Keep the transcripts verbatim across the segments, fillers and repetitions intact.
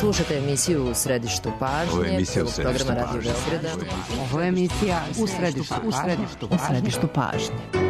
Slušate emisiju U središtu pažnje, programa Radio Beograda. Ovo je emisija U središtu, u središtu, u središtu pažnje.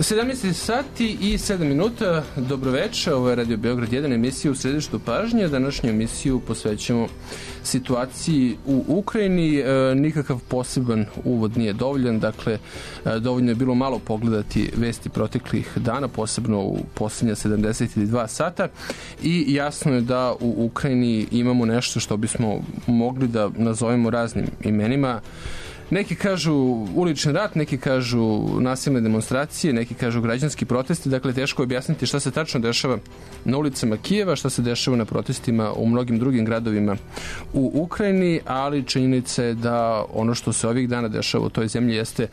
sedamnaest sati i sedam minuta, dobroveče, ovo je Radio Beograd jedan, emisija U središtu pažnje. Današnju emisiju posvećamo situaciji u Ukrajini. E, nikakav poseban uvod nije dovoljan, dakle, e, dovoljno je bilo malo pogledati vesti proteklih dana, posebno u posljednja sedamdeset dva sata, i jasno je da u Ukrajini imamo nešto što bismo mogli da nazovemo raznim imenima. Neki kažu ulični rat, neki kažu nasilne demonstracije, neki kažu građanski protesti. Dakle, teško je objasniti šta se tačno dešava na ulicama Kijeva, šta se dešava na protestima u mnogim drugim gradovima u Ukrajini, ali činjenica je da ono što se ovih dana dešava u toj zemlji jeste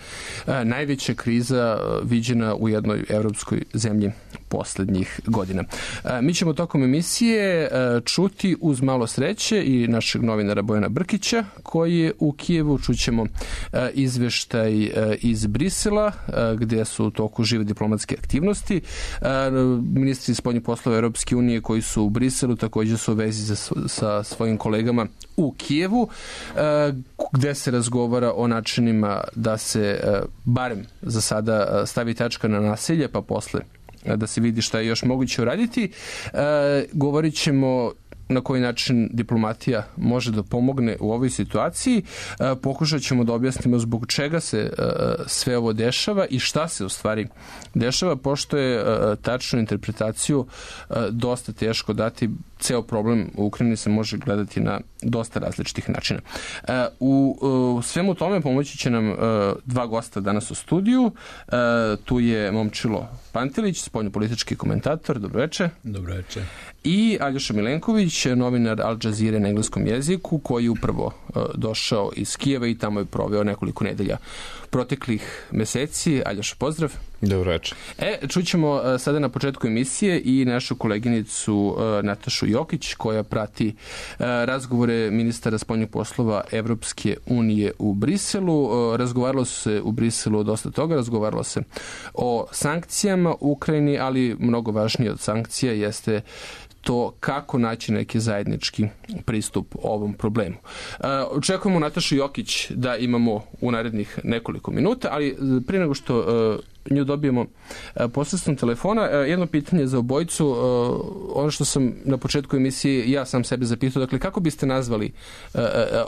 a, najveća kriza a, viđena u jednoj evropskoj zemlji poslednjih godina. A, mi ćemo tokom emisije a, čuti uz malo sreće i našeg novinara Bojana Brkića, koji je u Kijevu. Čućemo izveštaj iz Brisela, gde su u toku žive diplomatske aktivnosti. Ministri spoljnih poslova Europske unije koji su u Briselu također su u vezi sa svojim kolegama u Kijevu, gde se razgovara o načinima da se barem za sada stavi tačka na nasilje, pa posle da se vidi šta je još moguće uraditi. Govorit ćemo na koji način diplomatija može da pomogne u ovoj situaciji. E, pokušat ćemo da objasnimo zbog čega se e, sve ovo dešava i šta se u stvari dešava, pošto je e, tačnu interpretaciju e, dosta teško dati. Ceo problem u Ukrajini se može gledati na dosta različitih načina. E, u, u svemu tome pomoći će nam e, dva gosta danas u studiju. E, tu je Momčilo Pantelić, spoljnopolitički komentator. Dobroveče. Dobroveče. I Aljoša Milenković, novinar Al Jazeera na engleskom jeziku, koji je upravo uh, došao iz Kijeva i tamo je proveo nekoliko nedelja proteklih meseci. Aljoša, pozdrav. Dobroveče. E, čućemo uh, sada na početku emisije i našu koleginicu uh, Natašu Jokić, koja prati uh, razgovore ministara spoljnih poslova Evropske unije u Briselu. Uh, razgovaralo se u Briselu o dosta toga, razgovaralo se o sankcijama u Ukrajini, ali mnogo važnije od sankcija jeste to kako naći neki zajednički pristup ovom problemu. Očekujemo Natašu Jokić da imamo u narednih nekoliko minuta, ali prije nego što nju dobijemo posredstvom telefona, jedno pitanje za obojicu. Ono što sam na početku emisije ja sam sebe zapitao, dakle, kako biste nazvali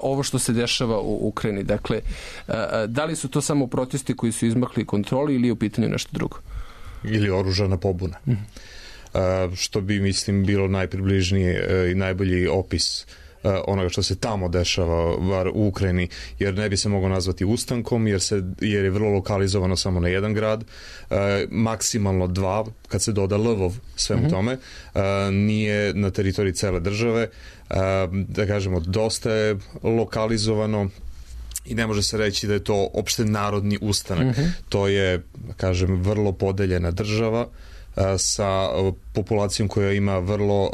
ovo što se dešava u Ukrajini? Dakle, da li su to samo protesti koji su izmakli kontroli ili je u pitanju nešto drugo? Ili oružana pobuna. Mm. Uh, što bi, mislim, bilo najpribližnije uh, i najbolji opis uh, onoga što se tamo dešava u Ukrajini, jer ne bi se moglo nazvati ustankom, jer, se, jer je vrlo lokalizovano samo na jedan grad, uh, maksimalno dva, kad se doda Lvov svemu mm-hmm. tome, uh, nije na teritoriji cele države, uh, da kažemo, dosta je lokalizovano i ne može se reći da je to opšte narodni ustanak. Uh-huh. To je, kažem, vrlo podeljena država sa populacijom koja ima vrlo uh,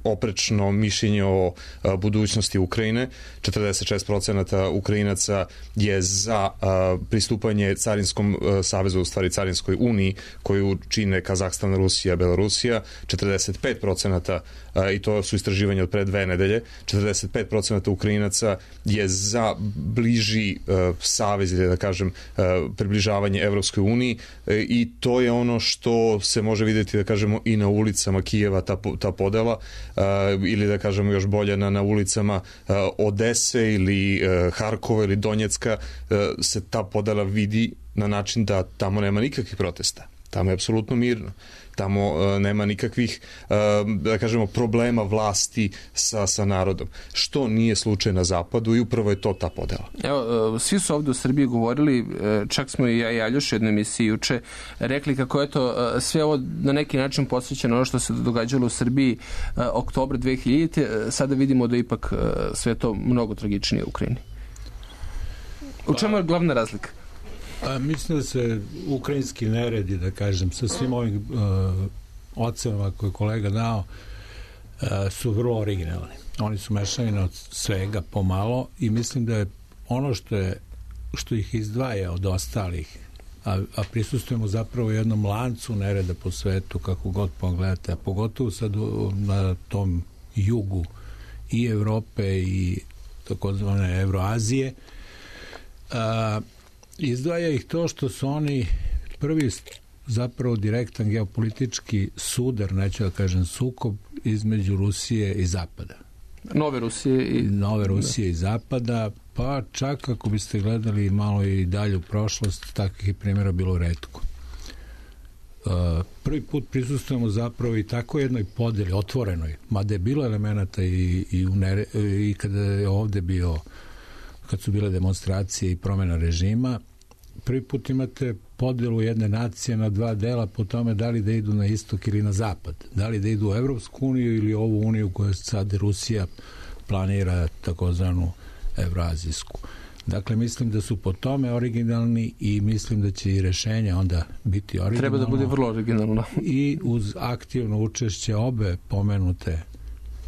oprečno mišljenje o uh, budućnosti Ukrajine. četrdeset šest procenata Ukrajinaca je za uh, pristupanje Carinskom uh, savezu, u stvari Carinskoj uniji, koju čine Kazahstan, Rusija, Belorusija. četrdeset pet procenata uh, i to su istraživanja od pre dve nedelje, četrdeset pet procenata Ukrajinaca je za bliži uh, savez, ili da kažem uh, približavanje Evropskoj uniji, uh, i to je ono što se može vidjeti, da kažemo, i na ulicama Kijeva, ta, ta podela, uh, ili da kažemo još bolje na, na ulicama uh, Odese ili uh, Harkova ili Donjecka, uh, se ta podela vidi na način da tamo nema nikakvih protesta. Tamo je apsolutno mirno. Tamo uh, nema nikakvih, uh, da kažemo, problema vlasti sa, sa narodom. Što nije slučaj na zapadu i upravo je to ta podela. Evo, uh, svi su ovdje u Srbiji govorili, uh, čak smo i ja i Aljoš u jednoj emisiji juče rekli kako je to uh, sve ovo na neki način posvećeno ono što se događalo u Srbiji uh, oktobra dve hiljadite. Uh, sada vidimo da ipak uh, sve to mnogo tragičnije u Ukrajini. U čemu je glavna razlika? A, mislim da se ukrajinski neredi, da kažem, sa svim ovim uh, ocenama koje je kolega dao, uh, su vrlo originalni. Oni su mešavina od svega pomalo i mislim da je ono što je što ih izdvaja od ostalih, a, a prisustujemo zapravo jednom lancu nereda po svetu, kako god pogledate, a pogotovo sad u, na tom jugu i Evrope i takozvane Evroazije, a, izdvaja ih to što su oni prvi zapravo direktan geopolitički sudar, neću da kažem sukob, između Rusije i Zapada. Nove Rusije i... Nove Rusije i Zapada, pa čak ako biste gledali malo i dalje u prošlost, takvih primjera bilo retko. Uh, prvi put prisustujemo zapravo i tako jednoj podeli, otvorenoj, mada je bilo elemenata i, i, u nere, i kada je ovde bio, kad su bile demonstracije i promjena režima, prvi put imate podelu jedne nacije na dva dela po tome da li da idu na istok ili na zapad. Da li da idu u Evropsku uniju ili ovu uniju koju sad Rusija planira, takozvanu evroazijsku. Dakle, mislim da su po tome originalni i mislim da će i rešenja onda biti originalno. Treba da bude vrlo originalno. I uz aktivno učešće obe pomenute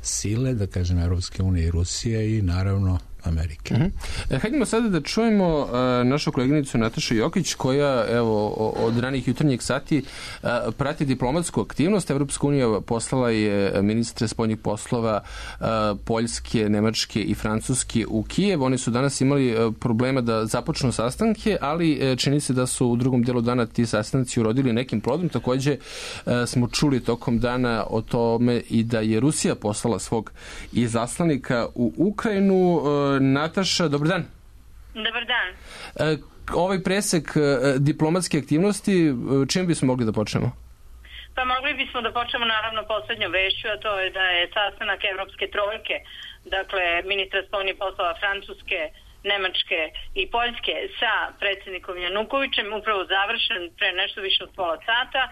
sile, da kažem Evropske unije i Rusije i naravno Amerike. Uh-huh. Hajdemo sada da čujemo uh, našu koleginicu Natašu Jokić, koja evo od ranih jutarnjih sati uh, prati diplomatsku aktivnost. Evropska unija poslala je ministre spoljnih poslova uh, Poljske, Nemačke i Francuske u Kijev. Oni su danas imali uh, problema da započnu sastanke, ali uh, čini se da su u drugom delu dana ti sastanci urodili nekim plodom. Takođe uh, smo čuli tokom dana o tome i da je Rusija poslala svog izaslanika u Ukrajinu. Uh, Nataša, dobar dan. Dobar dan. E, ovaj presek e, diplomatske aktivnosti, čim bismo mogli da počnemo? Pa mogli bismo da počnemo naravno poslednjom vešću, a to je da je sastanak Evropske trojke, dakle ministra spoljnih poslova Francuske, Nemačke i Poljske sa predsjednikom Janukovićem upravo završen pre nešto više od pola sata.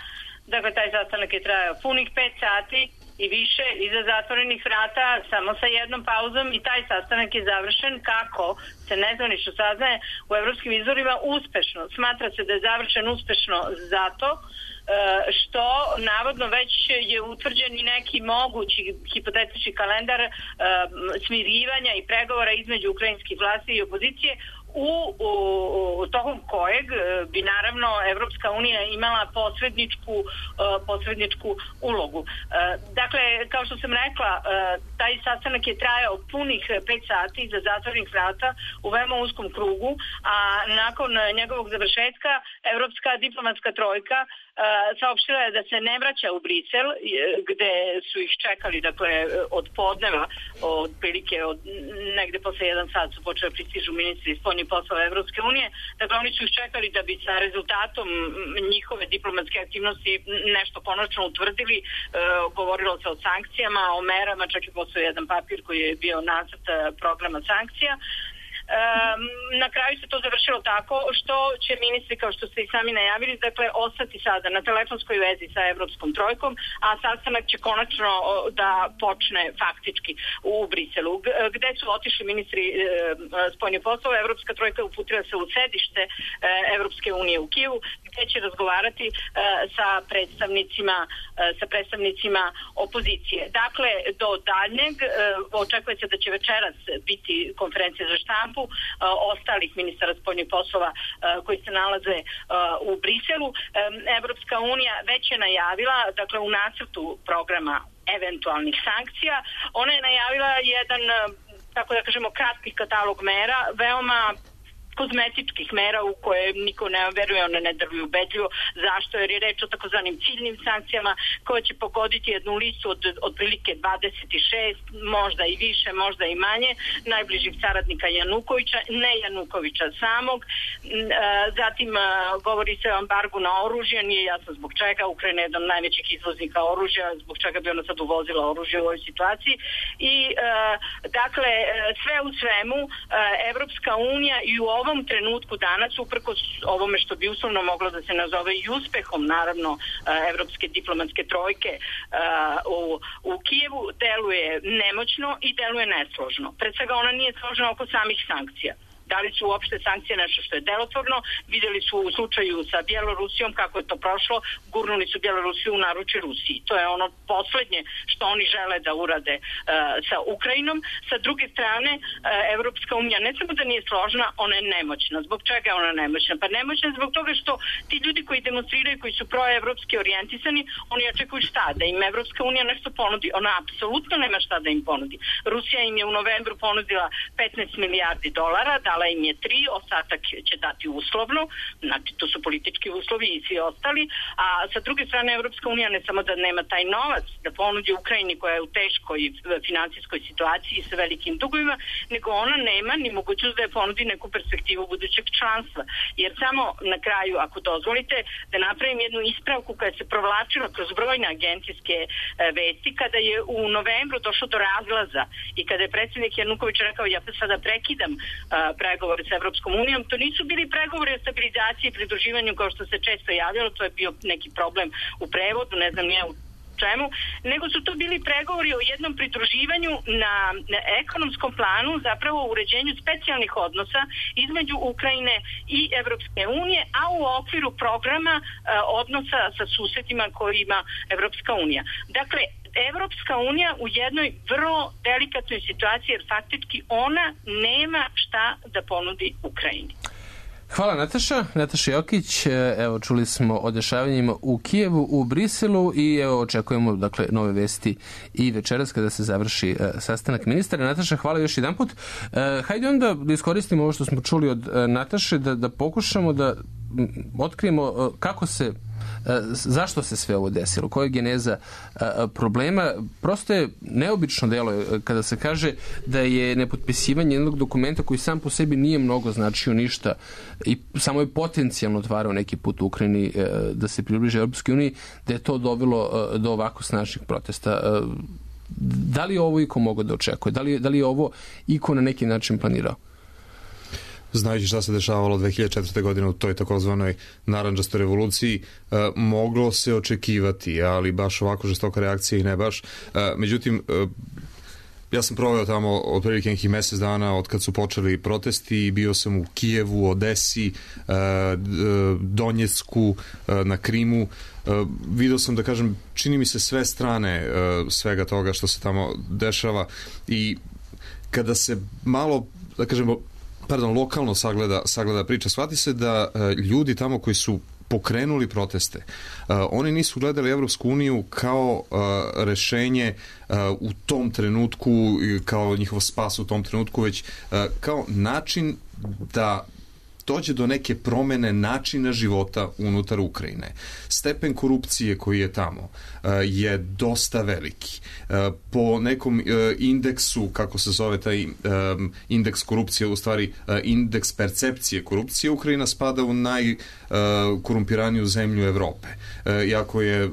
Dakle, taj sastanak je trajao punih pet sati i više iza zatvorenih vrata, samo sa jednom pauzom, i taj sastanak je završen, kako se nezvanično saznaje, u evropskim izvorima uspešno. Smatra se da je završen uspešno zato što navodno već je utvrđen i neki mogući hipotetički kalendar smirivanja i pregovora između ukrajinskih vlasti i opozicije, u, u, u tokom kojeg bi naravno Evropska unija imala posredničku, posredničku ulogu. Dakle, kao što sam rekla, taj sastanak je trajao punih pet sati za zatvorenih vrata u veoma uskom krugu, a nakon njegovog završetka Evropska diplomatska trojka saopštila je da se ne vraća u Brisel, gde su ih čekali, dakle, od podneva, od prilike od negde posle jedan sat su počeli pristižu ministri spoljnih poslova Evropske unije. Dakle, oni su ih čekali da bi sa rezultatom njihove diplomatske aktivnosti nešto konačno utvrdili. E, govorilo se o sankcijama, o merama, čak i postoji jedan papir koji je bio nacrt programa sankcija. na kraju se to završilo tako što će ministri, kao što ste i sami najavili, dakle, ostati sada na telefonskoj vezi sa Evropskom trojkom, a sastanak će konačno da počne faktički u Briselu. Gde su otišli ministri e, spoljnih poslova, Evropska trojka uputila se u sedište e, Evropske unije u Kijevu, gde će razgovarati e, sa predstavnicima e, sa predstavnicima opozicije. Dakle, do daljnjeg e, očekuje se da će večeras biti konferencija za štampu e, ostalih ministara spoljnih poslova e, koji se nalaze e, u Briselu. E, Evropska unija već je najavila, dakle, u nacrtu programa eventualnih sankcija, ona je najavila jedan, tako da kažemo, kratki katalog mera, veoma kozmetičkih mera u koje niko ne veruje, one ne drvuju ubedljivo. Zašto? Jer je reč o takozvanim ciljnim sankcijama koje će pogoditi jednu listu od otprilike dvadeset šest, možda i više, možda i manje, najbližih saradnika Janukovića, ne Janukovića samog. Zatim govori se o embargu na oružje, nije jasno zbog čega. Ukrajina je jedan od najvećih izvoznika oružja, zbog čega bi ona sad uvozila oružje u ovoj situaciji. I dakle, sve u svemu, Evropska unija i u ovom ovom trenutku danas, uprkos ovome što bi uslovno moglo da se nazove i uspehom, naravno, evropske diplomatske trojke u, u Kijevu, deluje nemoćno i deluje nesložno. Pred svega ona nije složna oko samih sankcija. Da li su uopšte sankcije nešto što je delotvorno? Videli su u slučaju sa Bjelorusijom kako je to prošlo, gurnuli su Bjelorusiju u naručje Rusiji. To je ono poslednje što oni žele da urade uh, sa Ukrajinom. Sa druge strane, uh, Evropska unija ne samo da nije složna, ona je nemoćna. Zbog čega je ona nemoćna? Pa nemoćna zbog toga što ti ljudi koji demonstriraju, koji su proevropski orijentisani, oni očekuju šta? Da im Evropska unija nešto ponudi. Ona apsolutno nema šta da im ponudi. Rusija im je u novembru ponudila petnaest milijardi dolara, da im je tri, ostatak će dati uslovno, znači to su politički uslovi i svi ostali, a sa druge strane Evropska unija ne samo da nema taj novac da ponudi Ukrajini koja je u teškoj finansijskoj situaciji sa velikim dugovima, nego ona nema ni mogućnost da je ponudi neku perspektivu budućeg članstva. Jer samo na kraju, ako dozvolite, da napravim jednu ispravku koja se provlačila kroz brojne agencijske vesti, kada je u novembru došlo do razlaza i kada je predsjednik Januković rekao ja pa sada prekidam pregovore sa Evropskom unijom, to nisu bili pregovori o stabilizaciji i pridruživanju kao što se često javljalo, to je bio neki problem u prevodu, ne znam nije u čemu, nego su to bili pregovori o jednom pridruživanju na, na ekonomskom planu, zapravo o uređenju specijalnih odnosa između Ukrajine i Evropske unije, a u okviru programa e, odnosa sa susedima koji ima Evropska unija. Dakle, Evropska unija u jednoj vrlo delikatnoj situaciji, jer faktički ona nema šta da ponudi Ukrajini. Hvala Nataša, Nataša Jokić, evo čuli smo o dešavanjima u Kijevu, u Briselu i evo očekujemo dakle nove vesti i večeras kada se završi uh, sastanak ministara. Nataša, hvala još jedan put. Uh, hajde onda da iskoristimo ovo što smo čuli od uh, Nataše, da, da pokušamo da otkrijemo uh, kako se zašto se sve ovo desilo, koja je geneza problema. Prosto je neobično delo kada se kaže da je nepotpisivanje jednog dokumenta koji sam po sebi nije mnogo značio ništa i samo je potencijalno otvarao neki put u Ukrajini da se približe Europskoj uniji, da je to dovelo do ovako snažnih protesta. Da li je ovo iko mogao da očekuje? Da li, da li je ovo iko na neki način planirao? Znajući šta se dešavalo dve hiljade četvrte. godine u toj takozvanoj narandžastoj revoluciji, e, moglo se očekivati, ali baš ovako žestoka reakcija i ne baš. E, međutim, e, ja sam proveo tamo otprilike nekih mesec dana od kad su počeli protesti i bio sam u Kijevu, Odesi, e, Donjecku, e, na Krimu. E, video sam, da kažem, čini mi se sve strane e, svega toga što se tamo dešava i kada se malo, da kažemo, pardon, lokalno sagleda, sagleda priča, shvati se da e, ljudi tamo koji su pokrenuli proteste, e, oni nisu gledali Evropsku uniju kao e, rešenje e, u tom trenutku, kao njihov spas u tom trenutku, već e, kao način da dođe do neke promene načina života unutar Ukrajine. Stepen korupcije koji je tamo je dosta veliki. Po nekom indeksu, kako se zove taj indeks korupcije, u stvari indeks percepcije korupcije, Ukrajina spada u najkorumpiraniju zemlju Evrope. Iako je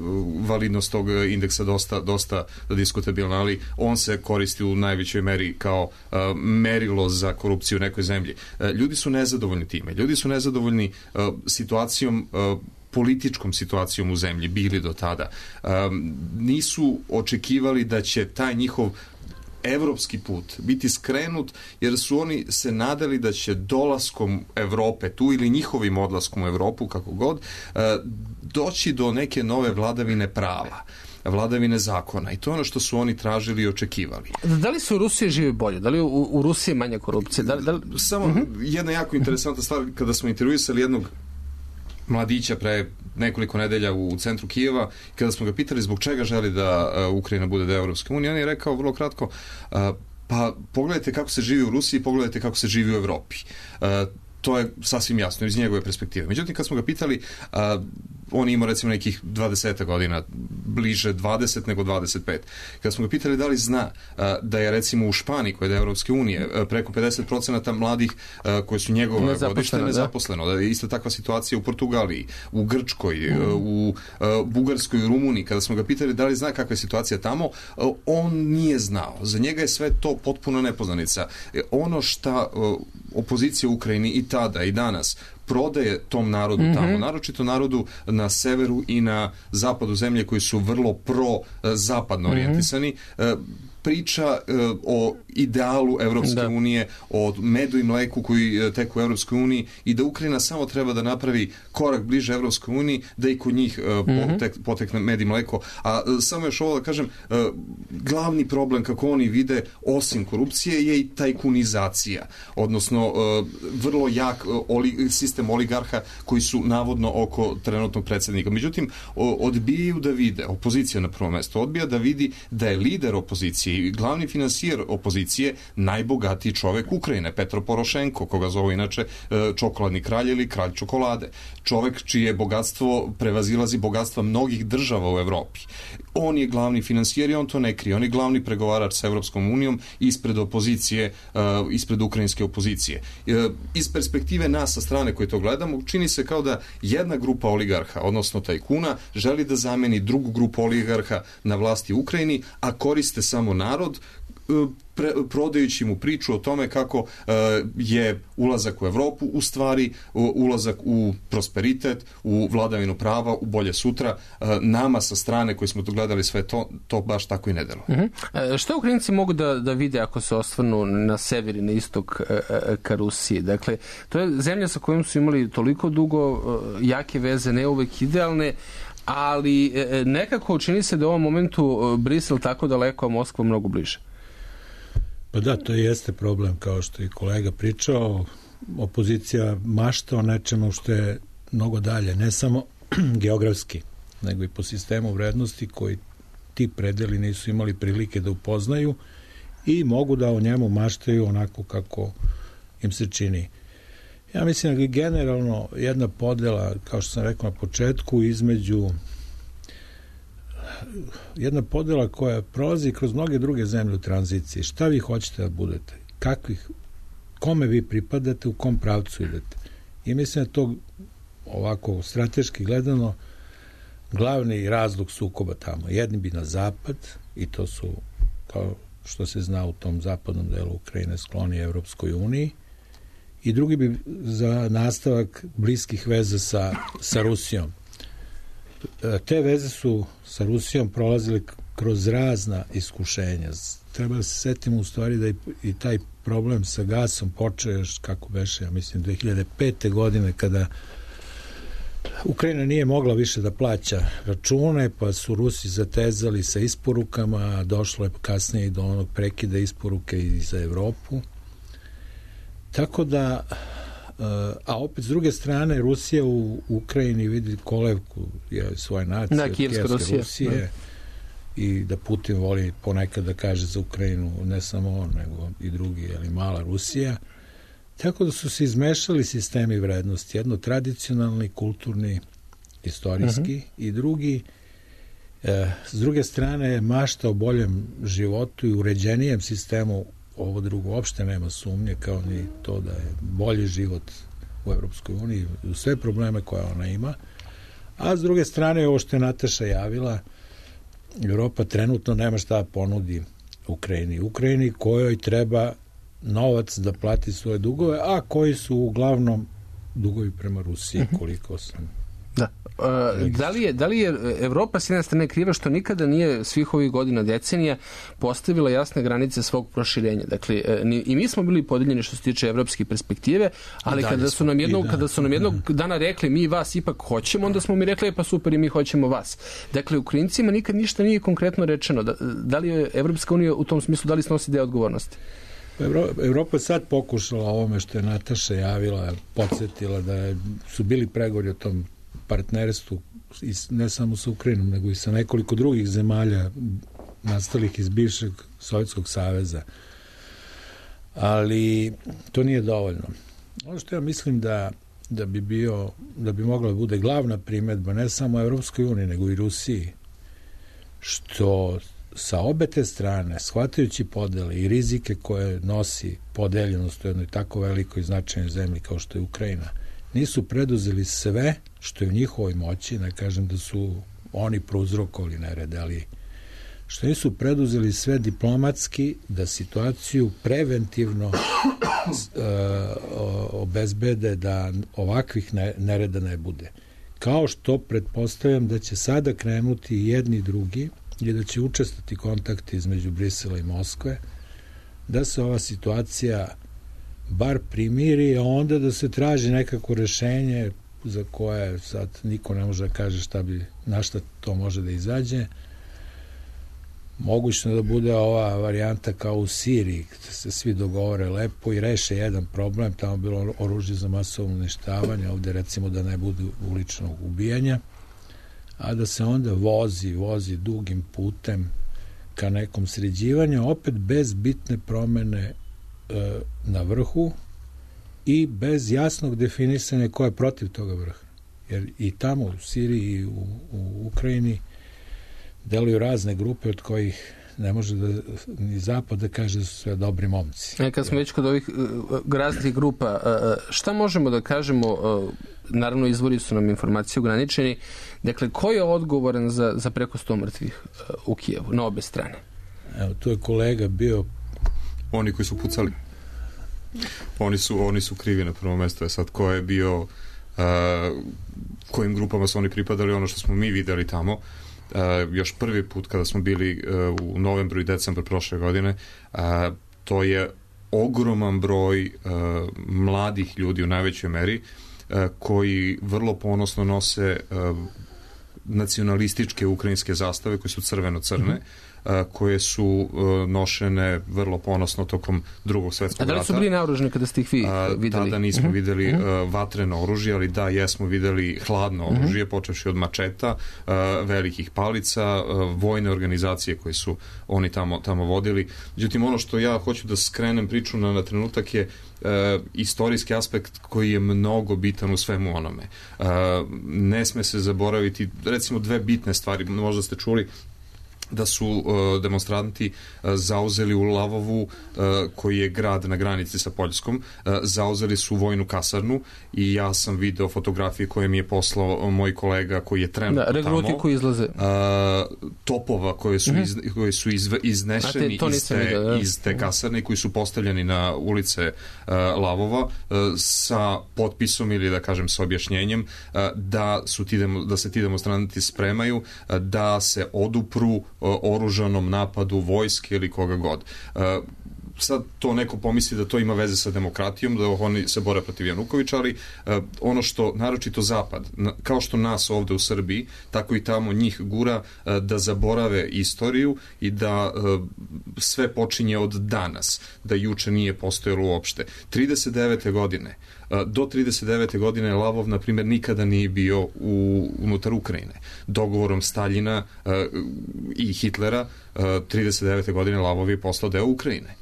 validnost tog indeksa dosta, dosta diskutabilna, ali on se koristi u najvećoj meri kao merilo za korupciju u nekoj zemlji. Ljudi su nezadovoljni time. Ljudi su nezadovoljni situacijom, političkom situacijom u zemlji, bili do tada. Nisu očekivali da će taj njihov evropski put biti skrenut, jer su oni se nadali da će dolaskom Evrope tu ili njihovim odlaskom u Evropu, kako god, doći do neke nove vladavine prava, vladavine zakona, i to je ono što su oni tražili i očekivali. Da li su u Rusiji živi bolje? Da li u, u Rusiji manje korupcije? Da li, da li... Samo uh-huh. jedna jako interesantna stvar, kada smo intervjuisali jednog mladića pre nekoliko nedelja u centru Kijeva, kada smo ga pitali zbog čega želi da Ukrajina bude deo Evropske unije, on je rekao vrlo kratko, pa pogledajte kako se živi u Rusiji, pogledajte kako se živi u Evropi. To je sasvim jasno iz njegove perspektive. Međutim, kad smo ga pitali, a, on ima recimo nekih dvadeset godina, bliže dvadeset nego dvadeset pet. Kad smo ga pitali da li zna a, da je recimo u Španiji, koja je da Evropske unije, a, preko pedeset procenata mladih a, koji su njegova godište nezaposleno, da. da je ista takva situacija u Portugaliji, u Grčkoj, mm. a, u a, Bugarskoj, u Rumuniji. Kada smo ga pitali da li zna kakva je situacija tamo, a, on nije znao. Za njega je sve to potpuno nepoznanica. E, ono šta a, opozicija u Ukrajini i tada i danas prodaje tom narodu mm-hmm. tamo, naročito narodu na severu i na zapadu zemlje koji su vrlo pro-zapadno orijentisani, mm-hmm. priča uh, o idealu Evropske da. unije, o medu i mleku koji uh, teku u Evropskoj uniji i da Ukrajina samo treba da napravi korak bliže Evropskoj uniji, da i kod njih uh, mm-hmm. potek, potekne med i mleko. A uh, samo još ovo da kažem, uh, glavni problem kako oni vide, osim korupcije, je i tajkunizacija, odnosno uh, vrlo jak uh, oli, sistem oligarha koji su navodno oko trenutnog predsjednika. Međutim, uh, odbijaju da vide, opozicija na prvo mesto, odbija da vidi da je lider opozicije i glavni finansijer opozicije najbogatiji čovek Ukrajine, Petro Porošenko, koga zove inače čokoladni kralj ili kralj čokolade. Čovek čije bogatstvo prevazilazi bogatstva mnogih država u Evropi. On je glavni finansijer i on to ne krije. On je glavni pregovarač sa Evropskom unijom ispred opozicije, ispred ukrajinske opozicije. Iz perspektive nas sa strane koje to gledamo, čini se kao da jedna grupa oligarha, odnosno tajkuna, želi da zameni drugu grupu oligarha na vlasti u Ukrajini, a koriste samo narod, pre, prodajući mu priču o tome kako uh, je ulazak u Evropu u stvari uh, ulazak u prosperitet, u vladavinu prava, u bolje sutra. Uh, nama sa strane koji smo to gledali sve to, to baš tako i ne delo. Uh-huh. E, što Ukrajinci mogu da, da vide ako se osvrnu na sever i na istok e, e, ka Rusiji? Dakle, to je zemlja sa kojom su imali toliko dugo e, jake veze, ne uvek idealne, ali e, nekako čini se da u ovom momentu Brisel tako daleko, a Moskva mnogo bliže. Pa da, to jeste problem, kao što i kolega pričao. Opozicija mašta o nečemu što je mnogo dalje, ne samo geografski, nego i po sistemu vrednosti koji ti predeli nisu imali prilike da upoznaju i mogu da o njemu maštaju onako kako im se čini. Ja mislim da je generalno jedna podela, kao što sam rekao na početku, između jedna podela koja prolazi kroz mnoge druge zemlje u tranziciji. Šta vi hoćete da budete? Kakvih, kome vi pripadate, u kom pravcu idete? I mislim da to ovako strateški gledano glavni razlog sukoba tamo. Jedni bi na zapad, i to su, kao što se zna u tom zapadnom delu Ukrajine, skloni Evropskoj uniji, i drugi bi za nastavak bliskih veza sa, sa Rusijom. Te veze su sa Rusijom prolazile kroz razna iskušenja. Treba da se setimo u stvari da i taj problem sa gasom počeo još, kako beše, ja mislim, dve hiljade pete godine, kada Ukrajina nije mogla više da plaća račune, pa su Rusi zatezali sa isporukama, došlo je kasnije i do onog prekida isporuke i za Evropu. Tako da, a opet s druge strane, Rusija u Ukrajini vidi kolevku je svoje nacije, da, Kijevska Rusija. Rusije, da. I da Putin voli ponekad da kaže za Ukrajinu, ne samo on, nego i drugi, ali mala Rusija. Tako da su se izmešali sistemi vrednosti, jedno tradicionalni, kulturni, istorijski uh-huh. i drugi, e, s druge strane, mašta o boljem životu i uređenijem sistemu, ovo drugo uopšte nema sumnje, kao ni to da je bolji život u Evropskoj uniji, u sve probleme koje ona ima, a s druge strane, ovo što je Nataša javila, Evropa trenutno nema šta ponudi Ukrajini. Ukrajini kojoj treba novac da plati svoje dugove, a koji su uglavnom dugovi prema Rusiji, koliko sam... Da. Uh, da, li je, da li je Evropa s jedne strane kriva što nikada nije svih ovih godina, decenija postavila jasne granice svog proširenja? Dakle, ni, i mi smo bili podeljeni što se tiče evropske perspektive, ali kada su nam jednog, kada su nam jednog dana rekli mi vas ipak hoćemo, onda smo mi rekli pa super i mi hoćemo vas. Dakle, Ukrajincima nikad ništa nije konkretno rečeno. Da, da li je Evropska unija u tom smislu, da li snosi deo odgovornosti? Evropa sad pokušala ovome što je Nataša javila, podsjetila da je, su bili pregovori o tom partnerstvu ne samo sa Ukrajinom, nego i sa nekoliko drugih zemalja nastalih iz bivšeg Sovjetskog saveza. Ali to nije dovoljno. Ono što ja mislim da, da bi bio, da bi mogla da bude glavna primedba ne samo Evropskoj uniji, nego i Rusiji, što sa obe te strane, shvatajući podele i rizike koje nosi podeljenost u jednoj tako velikoj značajnoj zemlji kao što je Ukrajina, nisu preduzeli sve što je u njihovoj moći, ne kažem da su oni prouzrokovali nerede, ali što nisu preduzeli sve diplomatski da situaciju preventivno uh, obezbede da ovakvih nereda ne bude. Kao što pretpostavljam da će sada krenuti jedni i drugi i da će učestati kontakti između Brisela i Moskve, da se ova situacija bar primiri, a onda da se traži nekako rešenje za koje sad niko ne može da kaže šta bi, na šta to može da izađe. Mogućno da bude ova varijanta kao u Siriji, da se svi dogovore lepo i reše jedan problem, tamo bilo oružje za masovno uništavanje, ovde recimo da ne budu uličnog ubijanja, a da se onda vozi, vozi dugim putem ka nekom sređivanju, opet bez bitne promene e, na vrhu i bez jasnog definisanja ko je protiv toga vrha. Jer i tamo u Siriji i u, u Ukrajini deluju razne grupe od kojih ne može da ni Zapad da kaže da su sve dobri momci. E, kad smo već kod ovih uh, raznih grupa, uh, šta možemo da kažemo, uh, naravno izvori su nam informacije ograničeni, dakle, ko je odgovoran za, za preko sto mrtvih uh, u Kijevu, na obe strane? Evo, tu je kolega bio... Oni koji su pucali. Oni su, oni su krivi na prvo mesto. Je sad ko je bio, uh, kojim grupama su oni pripadali, ono što smo mi videli tamo, Uh, još prvi put kada smo bili uh, u novembru i decembru prošle godine, uh, to je ogroman broj uh, mladih ljudi u najvećoj meri uh, koji vrlo ponosno nose uh, nacionalističke ukrajinske zastave koje su crveno-crne, mm-hmm. uh, koje su uh, nošene vrlo ponosno tokom drugog svetskog rata. A da li su bili naoružani kada ste ih vi uh, videli? Tada nismo mm-hmm. videli uh, vatreno oružje, ali da, jesmo videli hladno oružje, mm-hmm. počevši od mačeta, uh, velikih palica, uh, vojne organizacije koje su oni tamo, tamo vodili. Međutim, ono što ja hoću da skrenem priču na, na trenutak je Uh, istorijski aspekt koji je mnogo bitan u svemu onome. Uh, ne sme se zaboraviti, recimo dve bitne stvari, možda ste čuli da su uh, demonstranti uh, zauzeli u Lavovu, uh, koji je grad na granici sa Poljskom, uh, zauzeli su vojnu kasarnu i ja sam video fotografije koje mi je poslao moj kolega koji je trenutno da, tamo. Regruti koji izlaze. Uh, topova koje su, iz, mm-hmm. koje su izve, iznešeni te, iz, te, vidio, da. iz te kasarne koji su postavljeni na ulice uh, Lavova uh, sa potpisom ili da kažem sa objašnjenjem uh, da, su ti demo, da se ti demonstranti spremaju uh, da se odupru oružanom napadu vojske ili koga god. Uh, sad to neko pomisli da to ima veze sa demokratijom, da oni se bore protiv Janukovića, ali uh, ono što naročito Zapad, na, kao što nas ovde u Srbiji, tako i tamo njih gura uh, da zaborave istoriju i da uh, sve počinje od danas, da juče nije postojalo uopšte. trideset devete godine do trideset devete godine Lavov, na primjer, nikada nije bio u, unutar Ukrajine. Dogovorom Staljina uh, i Hitlera uh, trideset devete godine Lavov je postao deo Ukrajine.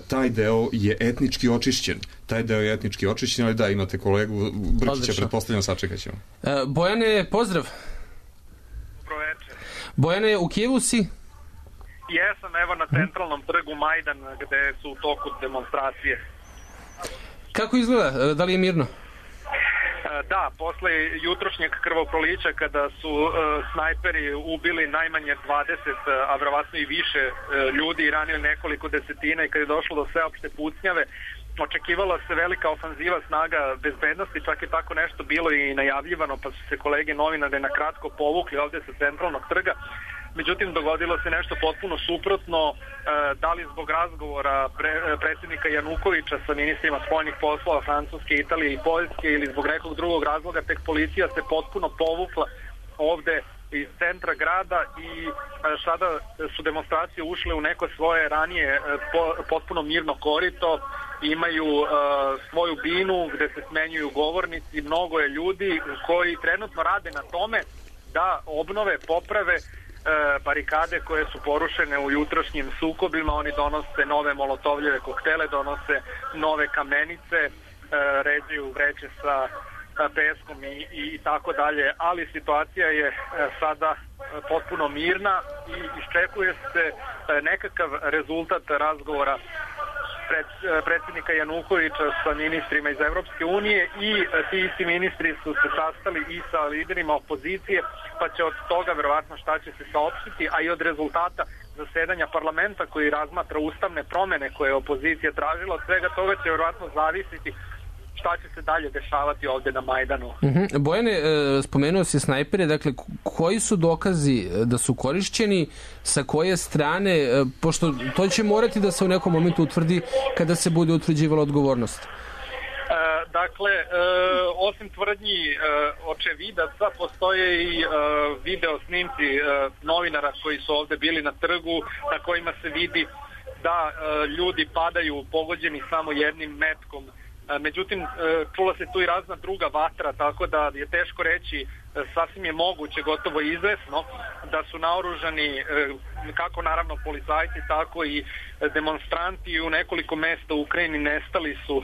Taj deo je etnički očišćen. Taj deo je etnički očišćen, ali da, imate kolegu Brkića, pretpostavljam, sačekat ćemo. Bojane, pozdrav. Dobro večer. Bojane, u Kijevu si? Jesam, evo na centralnom trgu Majdan, gde su u toku demonstracije. Kako izgleda? Da li je mirno? Da, posle jutrošnjeg krvoprolića kada su uh, snajperi ubili najmanje dvadeset, a verovatno i više uh, ljudi i ranili nekoliko desetina i kada je došlo do sveopšte pucnjave, očekivala se velika ofanziva snaga bezbednosti, čak je tako nešto bilo i najavljivano, pa su se kolege novinare na kratko povukli ovde sa centralnog trga. Međutim, dogodilo se nešto potpuno suprotno, da li zbog razgovora pre, predsjednika Janukovića sa ministrima spoljnih poslova Francuske, Italije i Poljske ili zbog nekog drugog razloga, tek policija se potpuno povukla ovde iz centra grada i sada su demonstracije ušle u neko svoje ranije potpuno mirno korito, imaju uh, svoju binu gde se smenjuju govornici, mnogo je ljudi koji trenutno rade na tome da obnove, poprave barikade koje su porušene u jutrošnjim sukobima. Oni donose nove molotovljeve koktele, donose nove kamenice, ređaju vreće sa peskom i, i tako dalje, ali situacija je sada potpuno mirna i iščekuje se nekakav rezultat razgovora pred, predsjednika Janukovića sa ministrima iz Evropske unije i ti isti ministri su se sastali i sa liderima opozicije, pa će od toga verovatno šta će se saopštiti, a i od rezultata zasedanja parlamenta koji razmatra ustavne promene koje je opozicija tražila, od svega toga će verovatno zavisiti šta će se dalje dešavati ovde na Majdanu. Uh-huh. Bojane, spomenuo si snajpere, dakle, koji su dokazi da su korišćeni, sa koje strane, pošto to će morati da se u nekom momentu utvrdi kada se bude utvrđivala odgovornost? E, dakle, e, osim tvrdnji e, očevidaca, postoje i e, video snimci e, novinara koji su ovde bili na trgu, na kojima se vidi da e, ljudi padaju pogođeni samo jednim metkom. Međutim, čula se tu i razna druga vatra, tako da je teško reći, sasvim je moguće, gotovo izvesno, da su naoružani kako naravno policajci, tako i demonstranti. U nekoliko mesta u Ukrajini nestali su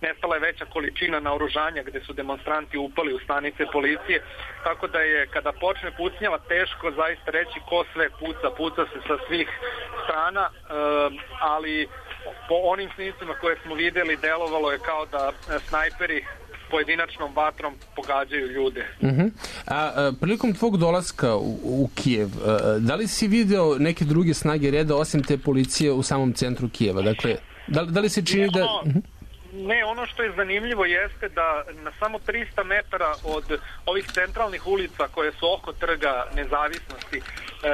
nestala je veća količina naoružanja gde su demonstranti upali u stanice policije, tako da je kada počne pucnjava teško zaista reći ko sve puca, puca se sa svih strana, ali po onim snimcima koje smo videli delovalo je kao da snajperi pojedinačnom vatrom pogađaju ljude. Uh-huh. A, a prilikom tvog dolaska u, u Kijev, a, da li si video neke druge snage reda osim te policije u samom centru Kijeva? Dakle, da, da li se čini da... Uh-huh. Ne, ono što je zanimljivo jeste da na samo trista metara od ovih centralnih ulica koje su oko trga Nezavisnosti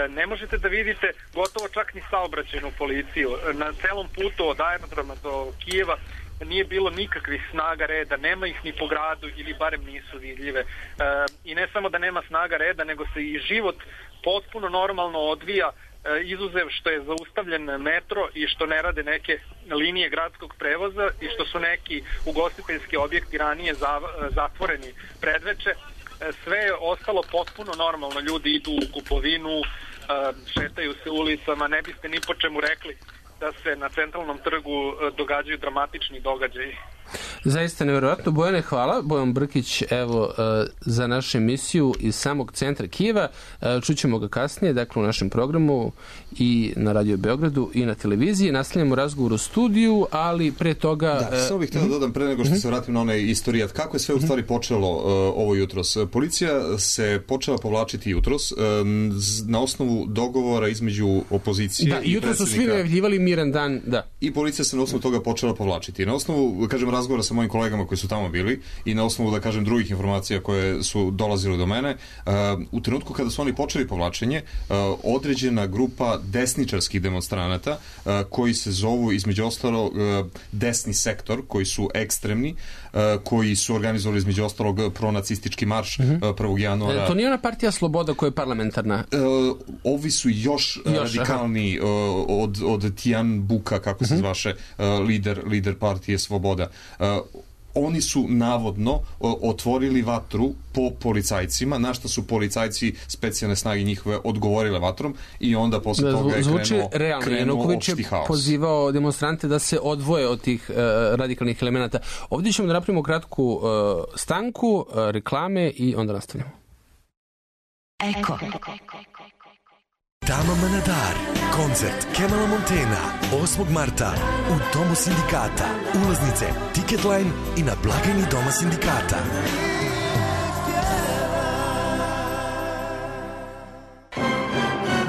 ne možete da vidite gotovo čak ni saobraćajnu policiju. Na celom putu od aerodroma do Kijeva nije bilo nikakvih snaga reda, nema ih ni po gradu ili barem nisu vidljive. E, I ne samo da nema snaga reda, nego se i život potpuno normalno odvija, e, izuzev što je zaustavljen metro i što ne rade neke linije gradskog prevoza i što su neki ugostiteljski objekti ranije za, zatvoreni predveče. E, sve je ostalo potpuno normalno, ljudi idu u kupovinu, e, šetaju se ulicama, ne biste ni po čemu rekli da se na centralnom trgu događaju dramatični događaji. Zaista nevjerojatno. Bojane, hvala. Bojan Brkić, evo, za našu emisiju iz samog centra Kijeva. Čućemo ga kasnije, dakle, u našem programu i na Radio Beogradu i na televiziji. Nastavljamo razgovor u studiju, ali pre toga... Da, samo bih htio da dodam pre nego što se vratim na onaj istorijat. Kako je sve u stvari počelo uh, ovo jutros? Policija se počela povlačiti jutros uh, na osnovu dogovora između opozicije da, i jutros predsjednika. Su svi najavljivali miran dan, da. I policija se na osnovu toga počela povlačiti. Na osnovu, kažem, razgovora sa mojim kolegama koji su tamo bili i na osnovu, da kažem, drugih informacija koje su dolazile do mene, uh, u trenutku kada su oni počeli povlačenje, uh, određena grupa desničarskih demonstranata uh, koji se zovu, između ostalog, uh, desni sektor, koji su ekstremni, uh, koji su organizovali, između ostalog, pronacistički marš uh, prvog januara. E, to nije ona partija Sloboda koja je parlamentarna? Uh, ovi su još, još radikalni uh, od, od Tijan Buka, kako se zvaše, uh, lider, lider partije Sloboda. Uh, oni su navodno otvorili vatru po policajcima, na što su policajci specijalne snage njihove odgovorile vatrom i onda posle da, toga je krenuo, realno. krenuo Januković opšti haos. Je pozivao demonstrante da se odvoje od tih uh, radikalnih elemenata. Ovdje ćemo da napravimo kratku uh, stanku, uh, reklame i onda nastavljamo. Eko. Tama Manadar, koncert Kemala Montena, osmog marta u Domu sindikata. Ulaznice Ticketline i na blagajni Doma sindikata.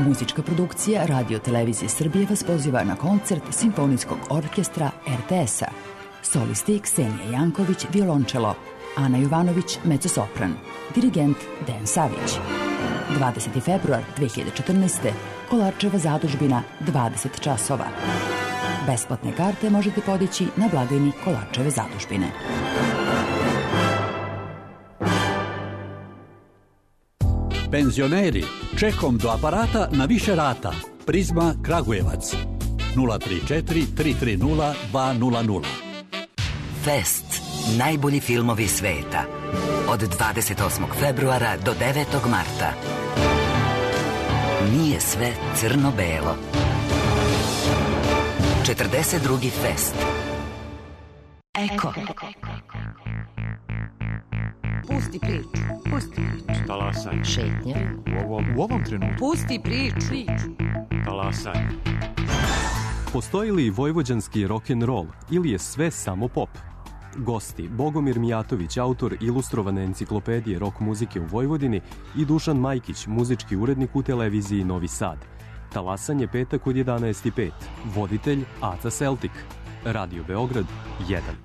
Muzička produkcija Radio Televizije Srbije vas poziva na koncert Simfonijskog orkestra er te es-a. Solisti Ksenija Janković, violončelo, Ana Jovanović, mezzosopran, dirigent Dejan Savić. dvadeseti februar dve hiljade četrnaeste. Kolarčeva zadužbina, dvadeset časova. Besplatne karte možete podići na blagajni Kolarčeve zadužbine. Penzioneri, čekom do aparata na više rata. Prizma Kragujevac. nula tri četiri tri tri nula dva nula nula. Fest. Najbolji filmovi sveta. Od dvadeset osmog februara do devetog marta. Nije sve crno-belo. četrdeset drugi fest. Eko. Pusti priču. Pusti priču. Talasaj. Šetnja. U ovom, u ovom trenutku. Pusti priču. Talasaj. Postoji li vojvođanski rock'n'roll ili je sve samo pop? Gosti Bogomir Mijatović, autor ilustrovane enciklopedije rock muzike u Vojvodini, i Dušan Majkić, muzički urednik u televiziji Novi Sad. Talasanje petak od jedanaest i pet. Voditelj Aca Celtic. Radio Beograd jedan.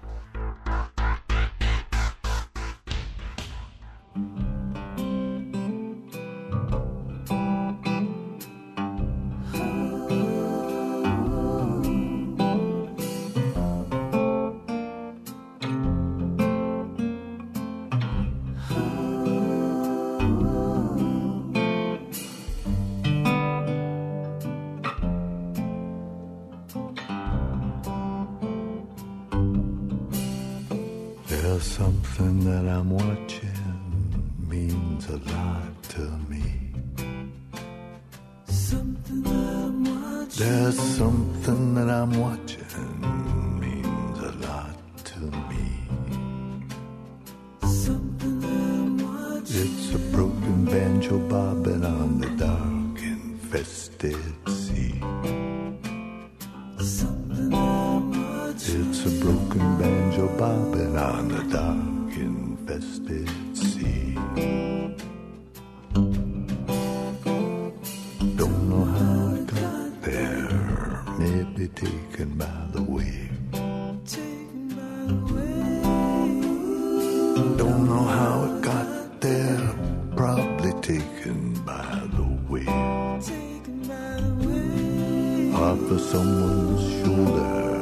Something that I'm watching means a lot to me. Something that I'm watching. There's something that I'm watching means a lot to me. Something that I'm watching. It's a broken banjo bobbing on the dark infested sea. Something that I'm watching. It's a broken banjo bobbing on the dark infested sea. Don't know how it got there, maybe taken by the wave. Don't know how it got there, probably taken by the wave. Off of someone's shoulder,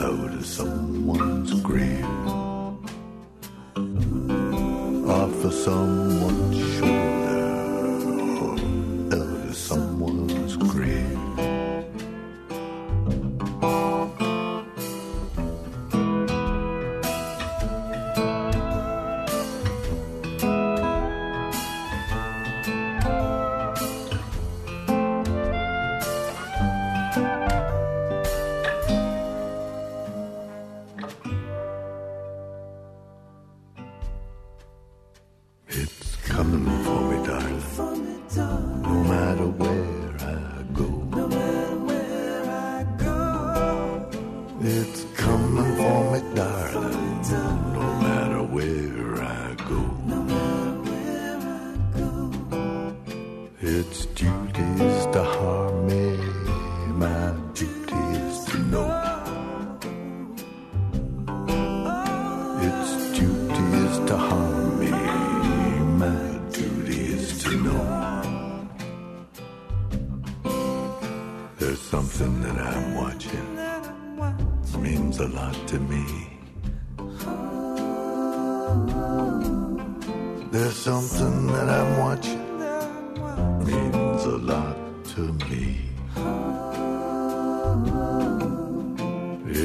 out of someone's grave. Off of someone's shoulder, out of someone's grave.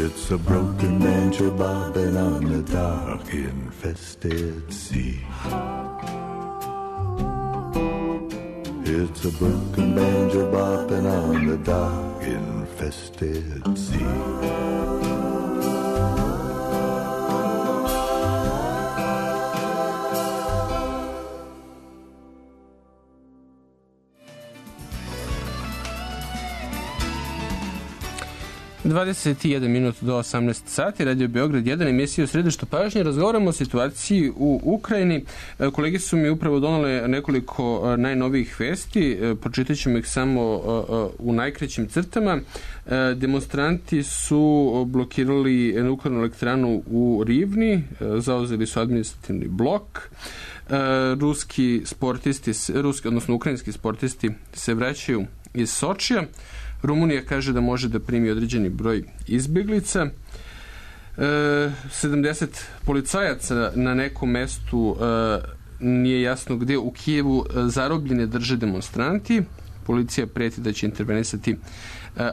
It's a broken banjo bobbing on the dark infested sea. It's a broken banjo bobbing on the dark infested sea. dvadeset jedan minut do osamnaest sati, Radio Beograd jedan, emisija u središtu pažnje. Razgovaramo o situaciji u Ukrajini. Kolege su mi upravo donale nekoliko najnovijih vesti. Pročitat ćemo ih samo u najkraćim crtama. Demonstranti su blokirali nuklearnu elektranu u Rivni, zauzeli su administrativni blok. Ruski sportisti, ruski, odnosno ukrajinski sportisti se vraćaju iz Sočija. Rumunija kaže da može da primi određeni broj izbjeglica. E, sedamdeset policajaca na nekom mestu e, nije jasno gdje u Kijevu zarobljene drže demonstranti. Policija preti da će intervenisati e,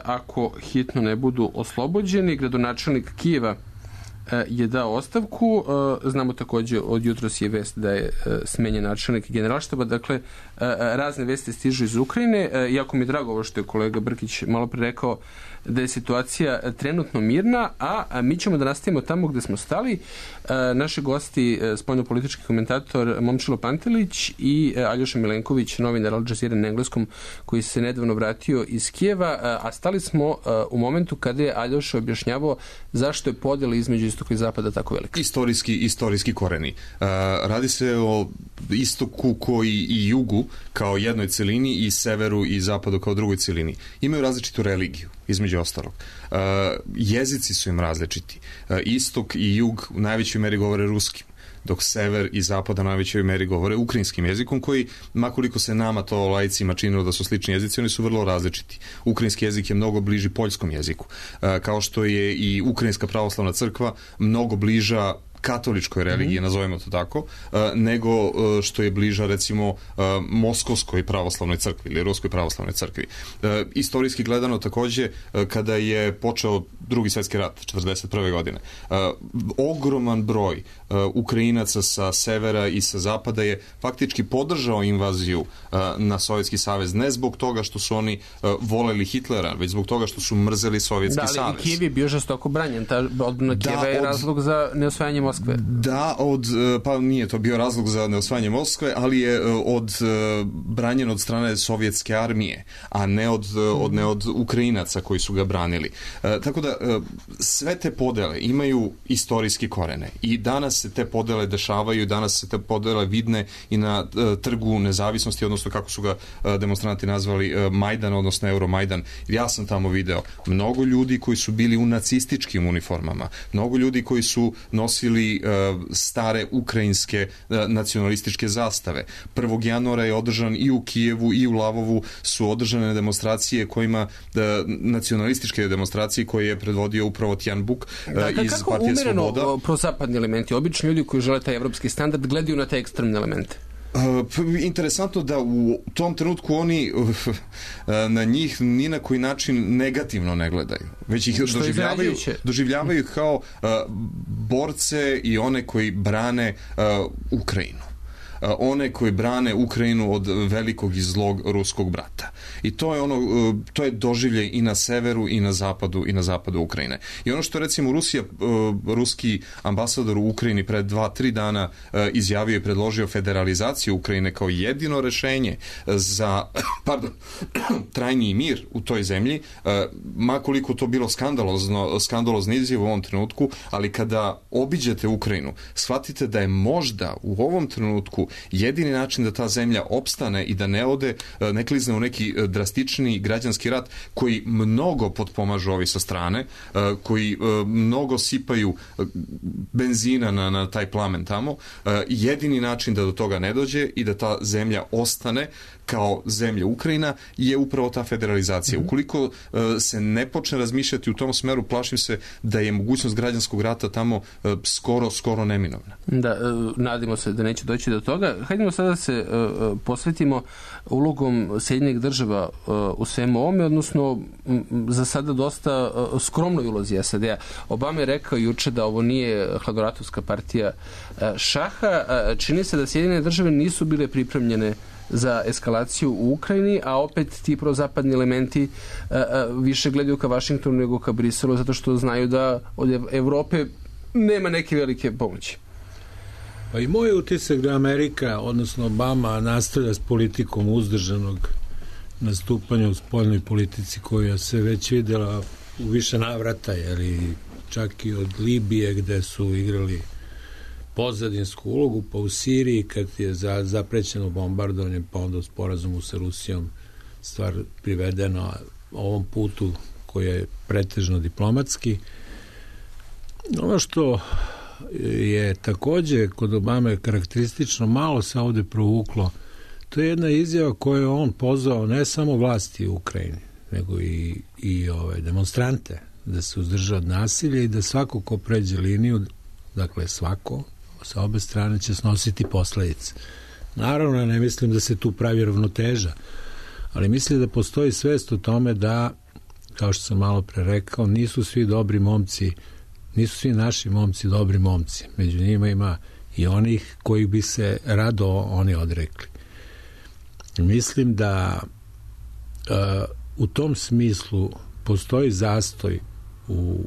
ako hitno ne budu oslobođeni. Gradonačelnik Kijeva je dao ostavku. Znamo također od jutros je vest da je smenjen načelnik generalštaba. Dakle, razne vesti stižu iz Ukrajine. Jako mi je drago ovo što je kolega Brkić malo pre rekao da je situacija trenutno mirna, a mi ćemo da nastavimo tamo gde smo stali. Naši gosti, spoljnopolitički komentator Momčilo Pantelić i Aljoša Milenković, novinar Al Jazeera na engleskom, koji se nedavno vratio iz Kijeva, a stali smo u momentu kada je Aljoša objašnjavao zašto je podjela između istoka i zapada tako velika. Istorijski, istorijski koreni. Radi se o istoku koji i jugu kao jednoj celini i severu i zapadu kao drugoj celini. Imaju različitu religiju, između ostalog. Uh, jezici su im različiti. Uh, istok i jug u najvećoj meri govore ruskim, dok sever i zapad u najvećoj meri govore ukrajinskim jezikom, koji, makoliko se nama to laicima činilo da su slični jezici, oni su vrlo različiti. Ukrajinski jezik je mnogo bliži poljskom jeziku, uh, kao što je i Ukrajinska pravoslavna crkva mnogo bliža katoličkoj religiji, mm-hmm. nazovimo to tako, nego što je bliža recimo Moskovskoj pravoslavnoj crkvi ili Ruskoj pravoslavnoj crkvi. Istorijski gledano takođe, kada je počeo Drugi svjetski rat četrdeset prve godine, ogroman broj Ukrajinaca sa severa i sa zapada je faktički podržao invaziju na Sovjetski savez, ne zbog toga što su oni voleli Hitlera, već zbog toga što su mrzeli Sovjetski savez. Da, ali savez. Kijev je bio žestoko branjen, ta odbrana Kijeva je od... razlog za neosvajanje Moskve. Da, od, pa nije to bio razlog za neosvajanje Moskve, ali je od branjen od strane sovjetske armije, a ne od, od, ne od Ukrajinaca koji su ga branili. E, tako da sve te podele imaju istorijski korene i danas se te podele dešavaju, danas se te podele vidne i na e, trgu nezavisnosti, odnosno kako su ga e, demonstranti nazvali e, Majdan, odnosno Euromajdan. Ja sam tamo video mnogo ljudi koji su bili u nacističkim uniformama, mnogo ljudi koji su nosili e, stare ukrajinske e, nacionalističke zastave. prvog januara je održan i u Kijevu i u Lavovu su održane demonstracije kojima e, nacionalističke demonstracije koje je predvodio upravo Tjan Buk e, da, iz Partije Sloboda. Kako umereno prozapadni elementi, obični ljudi koji žele taj evropski standard gledaju na te ekstremne elemente? Uh, interesantno da u tom trenutku oni uh, na njih ni na koji način negativno ne gledaju, već ih doživljavaju, doživljavaju kao uh, borce i one koji brane uh, Ukrajinu. One koji brane Ukrajinu od velikog i zlog ruskog brata. I to je ono, to je doživljaj i na severu i na zapadu i na zapadu Ukrajine. I ono što recimo Rusija, ruski ambasador u Ukrajini pred dva, tri dana izjavio i predložio federalizaciju Ukrajine kao jedino rešenje za, pardon, trajni mir u toj zemlji, makoliko to bilo skandalozno, skandalozno izjav u ovom trenutku, ali kada obiđete Ukrajinu, shvatite da je možda u ovom trenutku jedini način da ta zemlja opstane i da ne ode, ne klizne u neki drastični građanski rat koji mnogo potpomažu ovi sa strane, koji mnogo sipaju benzina na, na taj plamen tamo, jedini način da do toga ne dođe i da ta zemlja ostane kao zemlja Ukrajina je upravo ta federalizacija. Mm-hmm. Ukoliko uh, se ne počne razmišljati u tom smeru, plašim se da je mogućnost građanskog rata tamo uh, skoro, skoro neminovna. Da, uh, nadimo se da neće doći do toga. Hajdemo sada da se uh, posvetimo ulogom Sjedinjenih država država u svemu ovome, odnosno za sada dosta skromnoj ulozi S A D-a. Obama je rekao juče da ovo nije hladoratovska partija šaha. Čini se da Sjedinjene države nisu bile pripremljene za eskalaciju u Ukrajini, a opet ti prozapadni elementi a, a, više gledaju ka Vašingtonu nego ka Briselu, zato što znaju da od Evrope nema neke velike pomoći. Pa i moj utisak da Amerika, odnosno Obama, nastavlja s politikom uzdržanog nastupanja u spoljnoj politici koja se već videla u više navrata, jer i čak i od Libije gde su igrali pozadinsku ulogu, pa u Siriji kad je za, zaprećeno bombardovanje, pa onda u sporazumu sa Rusijom stvar privedena ovom putu koji je pretežno diplomatski. Ono što je takođe kod Obame karakteristično, malo se ovde provuklo, to je jedna izjava koju je on pozvao ne samo vlasti u Ukrajini, nego i, i ove demonstrante da se uzdrža od nasilja i da svako ko pređe liniju, dakle svako sa obe strane će snositi posledice. Naravno, ne mislim da se tu pravi ravnoteža, ali mislim da postoji svest o tome da, kao što sam malo pre rekao, nisu svi dobri momci, nisu svi naši momci dobri momci. Među njima ima i onih koji bi se rado oni odrekli. Mislim da uh, u tom smislu postoji zastoj u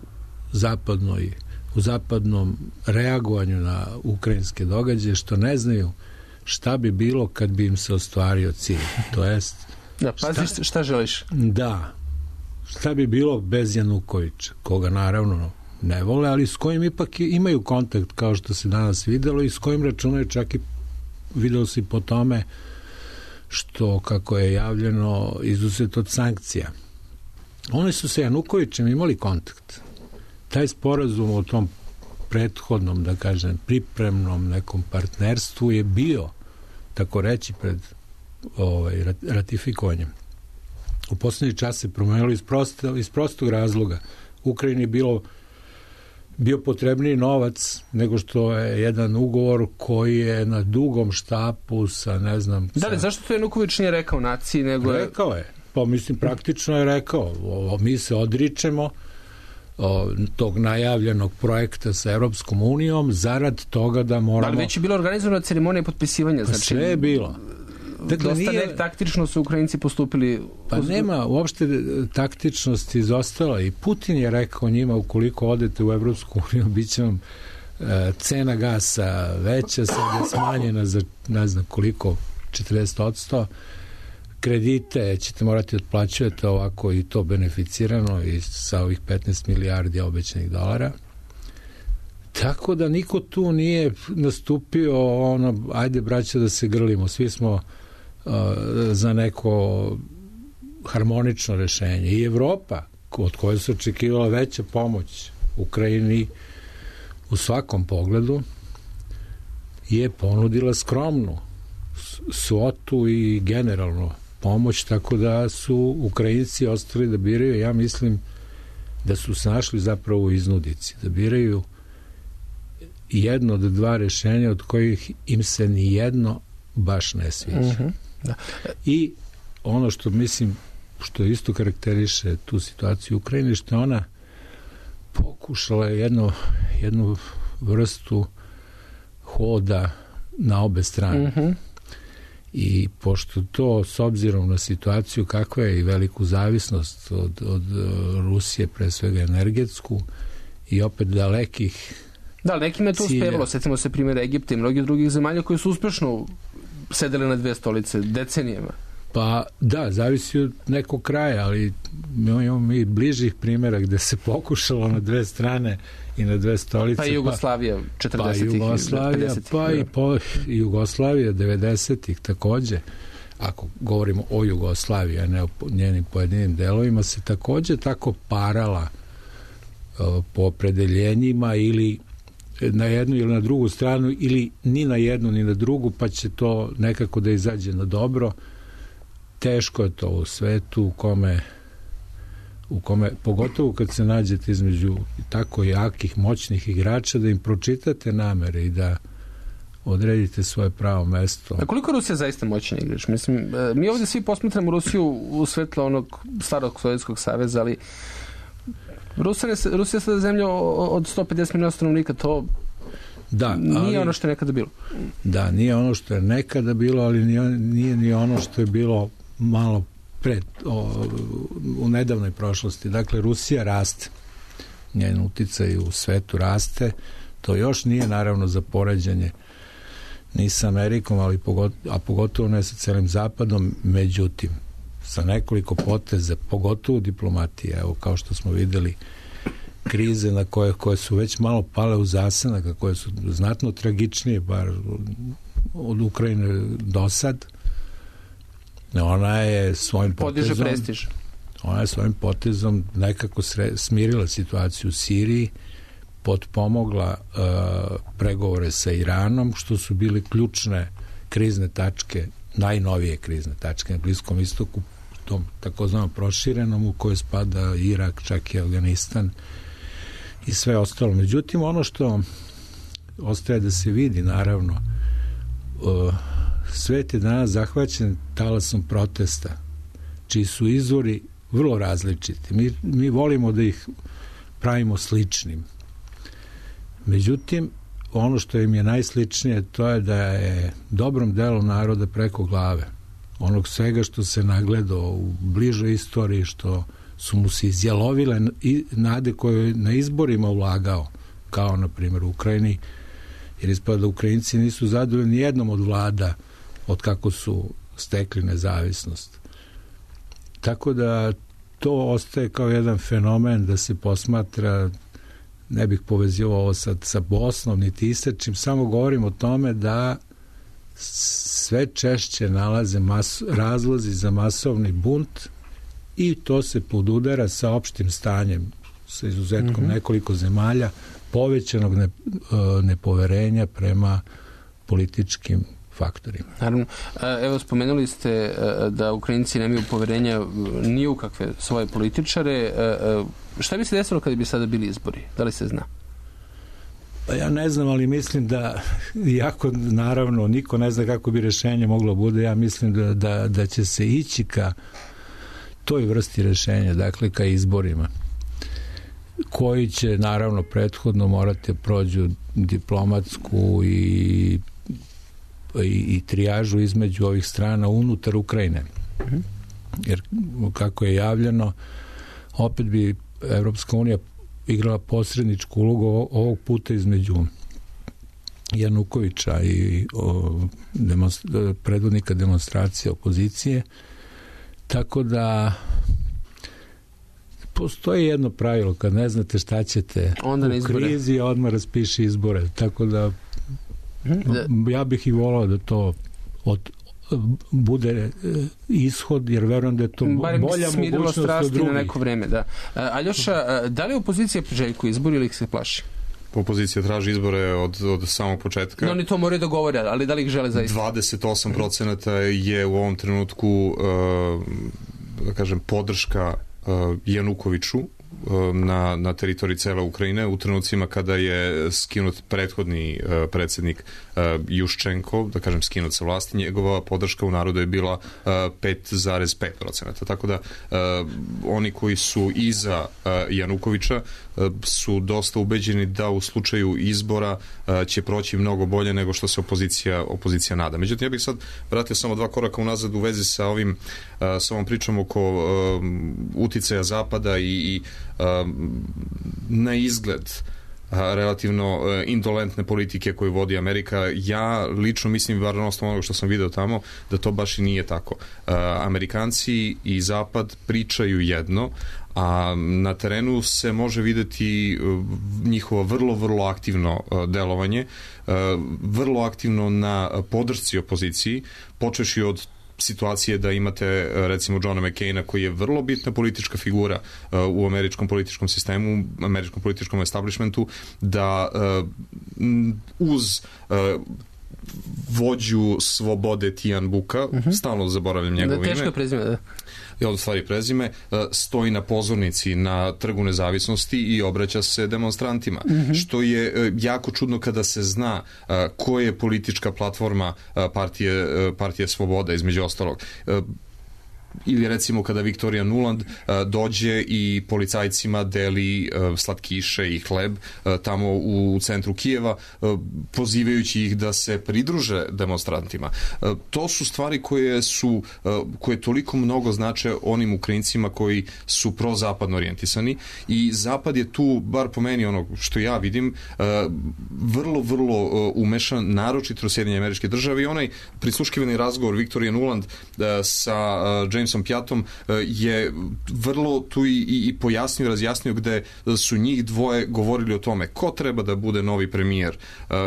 zapadnoj u zapadnom reagovanju na ukrajinske događaje, što ne znaju šta bi bilo kad bi im se ostvario cilj. To jest... Da, pazi šta, šta želiš? Da. Šta bi bilo bez Janukovića, koga naravno ne vole, ali s kojim ipak imaju kontakt, kao što se danas videlo, i s kojim računaju čak i videlo se po tome što, kako je javljeno, izuzet od sankcija. Oni su sa Janukovićem imali kontakt. Taj sporazum o tom prethodnom, da kažem, pripremnom nekom partnerstvu je bio, tako reći, pred ovaj, ratifikovanjem. U poslednji čas se promenilo iz, prosto, iz prostog razloga. Ukrajini je bilo bio potrebniji novac nego što je jedan ugovor koji je na dugom štapu sa, ne znam... Da li, sa... zašto to Januković nije rekao naciji, nego je... Rekao je. Pa mislim, praktično je rekao. O, mi se odričemo o, tog najavljenog projekta sa Evropskom unijom zarad toga da moramo... Ali već je bila organizovana ceremonija potpisivanja. Pa znači, sve je bilo. Dakle, dosta nije... taktično su Ukrajinci postupili... Pa nema uopšte taktičnosti izostala i Putin je rekao njima, ukoliko odete u Evropsku uniju, bit će vam e, cena gasa veća, sad je smanjena za ne znam koliko, četrdeset posto, kredite ćete morati otplaćujete ovako i to beneficirano i sa ovih petnaest milijardi obećanih dolara. Tako da niko tu nije nastupio ono, ajde braća da se grlimo, svi smo uh, za neko harmonično rešenje. I Evropa, od koje se očekivala veća pomoć Ukrajini u svakom pogledu, je ponudila skromnu svotu i generalno pomoć, tako da su Ukrajinci ostali da biraju. Ja mislim da su se našli zapravo u iznudici, da biraju jedno od dva rešenja od kojih im se ni jedno baš ne sviđa. Uh-huh. Da. I ono što mislim, što isto karakteriše tu situaciju u Ukrajini, što ona pokušala jedno, jednu vrstu hoda na obe strane. Uh-huh. I pošto to, s obzirom na situaciju kakva je i veliku zavisnost od, od Rusije, pre svega energetsku, i opet dalekih Da, nekima je to uspevalo, setimo se primjera Egipta i mnogih drugih zemalja koji su uspešno sedeli na dve stolice decenijama. Pa da, zavisi od nekog kraja, ali imamo mi bližih primjera gde se pokušalo na dve strane i na dve stolice. Pa i Jugoslavija četrdesetih. Pa Jugoslavija, pa i po, Jugoslavija devedesetih takođe. Ako govorimo o Jugoslaviji, a ne o njenim pojedinim delovima, se takođe tako parala uh, po opredeljenjima ili na jednu ili na drugu stranu ili ni na jednu ni na drugu, pa će to nekako da izađe na dobro. Teško je to u svetu u kome, u kome pogotovo kad se nađete između tako jakih, moćnih igrača, da im pročitate namere i da odredite svoje pravo mesto. A koliko Rusija zaista moćna igrač? Mislim, mi ovdje svi posmatramo Rusiju u svetlo onog starog Sovjetskog saveza, ali Rusija je, Rusija je sada zemlja od sto pedeset miliona stanovnika, to da, nije ali, ono što je nekada bilo. Da, nije ono što je nekada bilo, ali nije, nije ni ono što je bilo malo pred, o, u nedavnoj prošlosti. Dakle, Rusija raste. Njen uticaj u svetu raste. To još nije naravno za poređenje ni sa Amerikom, ali pogotovo, a pogotovo ne sa celim Zapadom, međutim, sa nekoliko poteza, pogotovo diplomatije, evo kao što smo videli, krize na koje, koje su već malo pale u zasenak, a koje su znatno tragičnije, bar od Ukrajine do sad, ona je svojim potezom... Podiže prestiž. Ona je svojim potezom nekako sre, smirila situaciju u Siriji, potpomogla uh, pregovore sa Iranom, što su bili ključne krizne tačke, najnovije krizne tačke na Bliskom istoku, tom takozvanom proširenom u kojoj spada Irak, čak i Afganistan i sve ostalo. Međutim, ono što ostaje da se vidi, naravno, uh, svet je danas zahvaćen talasom protesta, čiji su izvori vrlo različiti. Mi, mi volimo da ih pravimo sličnim. Međutim, ono što im je najsličnije, to je da je dobrom delu naroda preko glave. Onog svega što se nagledao u bližoj istoriji, što su mu se izjalovile i nade koje na izborima ulagao, kao na primjer u Ukrajini, jer ispada da Ukrajinci nisu zadovoljni jednom od vlada od kako su stekli nezavisnost. Tako da to ostaje kao jedan fenomen da se posmatra, ne bih povezivao ovo sad sa Bosnom niti Isačim, samo govorim o tome da sve češće nalaze mas, razlozi za masovni bunt i to se podudara sa opštim stanjem, sa izuzetkom mm-hmm. nekoliko zemalja, povećanog ne, nepoverenja prema političkim faktorima. Naravno. Evo, spomenuli ste da Ukrajinci nemaju poverenja ni u kakve svoje političare. Šta bi se desilo kada bi sada bili izbori? Da li se zna? Pa ja ne znam, ali mislim da, iako naravno niko ne zna kako bi rešenje moglo bude, ja mislim da, da, da će se ići ka toj vrsti rešenja, dakle ka izborima, koji će naravno prethodno morati prođu diplomatsku i i, i trijažu između ovih strana unutar Ukrajine. Mm-hmm. Jer kako je javljeno, opet bi Evropska unija igrala posredničku ulogu ovog puta između Janukovića i o, demonstra, predvodnika demonstracije opozicije. Tako da postoji jedno pravilo, kad ne znate šta ćete onda u krizi, odmah raspiši izbore. Tako da ja bih i volao da to od, bude ishod, jer verujem da je to Barem bolja mogućnost od drugih. Na neko vreme, da. Aljoša, da li opozicija priželjkuje izbor ili ih se plaši? Opozicija traži izbore od, od samog početka. No, oni to moraju da govore, ali da li ih žele zaista? dvadeset osam procenata je u ovom trenutku uh, da kažem, podrška uh, Janukoviću na, na teritoriji cele Ukrajine u trenucima kada je skinut prethodni uh, predsjednik uh, Juščenko, da kažem skinut sa vlasti, njegova podrška u narodu je bila uh, pet zarez pet procenata. Tako da uh, oni koji su iza uh, Janukovića uh, su dosta ubeđeni da u slučaju izbora uh, će proći mnogo bolje nego što se opozicija, opozicija nada. Međutim, ja bih sad vratio samo dva koraka unazad u vezi sa ovim uh, sa ovom pričom oko uh, uticaja Zapada i, i na izgled relativno indolentne politike koju vodi Amerika. Ja lično mislim, bar na osnovu onoga što sam video tamo, da to baš i nije tako. Amerikanci i Zapad pričaju jedno, a na terenu se može videti njihovo vrlo, vrlo aktivno delovanje, vrlo aktivno na podršci opoziciji, počeši od situacije da imate recimo Johna McCaina koji je vrlo bitna politička figura uh, u američkom političkom sistemu, američkom političkom establishmentu, da uh, uz uh, vođu Slobode Tijan Buka, uh-huh. stalno zaboravljam njegovo ime. Teško prezime, da. Je od stvari prezime, stoji na pozornici na Trgu Nezavisnosti i obraća se demonstrantima. Mm-hmm. Što je jako čudno kada se zna koja je politička platforma partije, partije Sloboda, između ostalog. Ili recimo kada Viktorija Nuland uh, dođe i policajcima deli uh, slatkiše i hleb uh, tamo u, u centru Kijeva, uh, pozivajući ih da se pridruže demonstrantima. Uh, to su stvari koje su uh, koje toliko mnogo znače onim Ukrajincima koji su prozapadno orijentisani i Zapad je tu, bar po meni ono što ja vidim, uh, vrlo, vrlo uh, umešan, naročito Sjedinjene Američke Države i onaj prisluškivani razgovor Viktorije Nuland uh, sa uh, James Pjatom je vrlo tu i, i pojasnio, razjasnio gde su njih dvoje govorili o tome ko treba da bude novi premijer,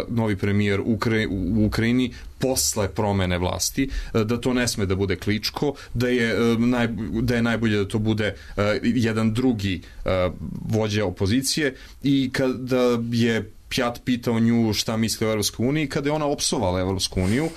novi premijer Ukra... u Ukrajini posle promene vlasti, da to ne sme da bude Kličko, da je, naj, da je najbolje da to bude jedan drugi vođa opozicije i kada je Pjat pitao nju šta misli o Evropskoj uniji, kada je ona opsovala Evropsku uniju,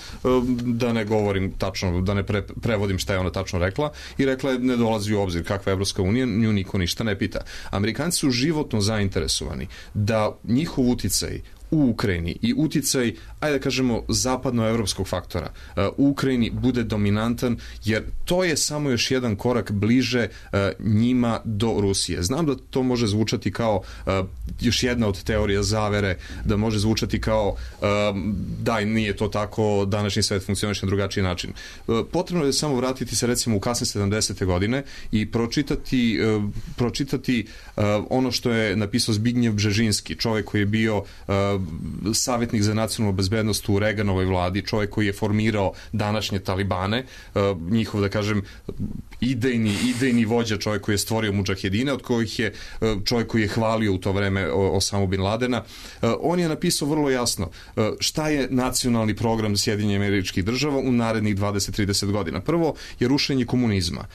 da ne govorim tačno, da ne pre, prevodim šta je ona tačno rekla, i rekla je ne dolazi u obzir kakva je Evropska unija, nju niko ništa ne pita. Amerikanci su životno zainteresovani da njihov uticaj u Ukrajini i uticaj, ajde da kažemo, zapadnoevropskog faktora u Ukrajini bude dominantan, jer to je samo još jedan korak bliže njima do Rusije. Znam da to može zvučati kao još jedna od teorija zavere, da može zvučati kao da, nije to tako, današnji svet funkcioniše na drugačiji način. Potrebno je samo vratiti se recimo u kasne sedamdesete godine i pročitati, pročitati ono što je napisao Zbignjev Bžežinski, čovjek koji je bio savjetnik za nacionalnu bezbednost u Reaganovoj vladi, čovjek koji je formirao današnje Talibane, njihov, da kažem, idejni, idejni vođa, čovjek koji je stvorio mudžahedine, od kojih je čovjek koji je hvalio u to vreme Osamu bin Ladena. On je napisao vrlo jasno šta je nacionalni program Sjedinjenih Američkih Država u narednih dvadeset do trideset godina. Prvo je rušenje komunizma.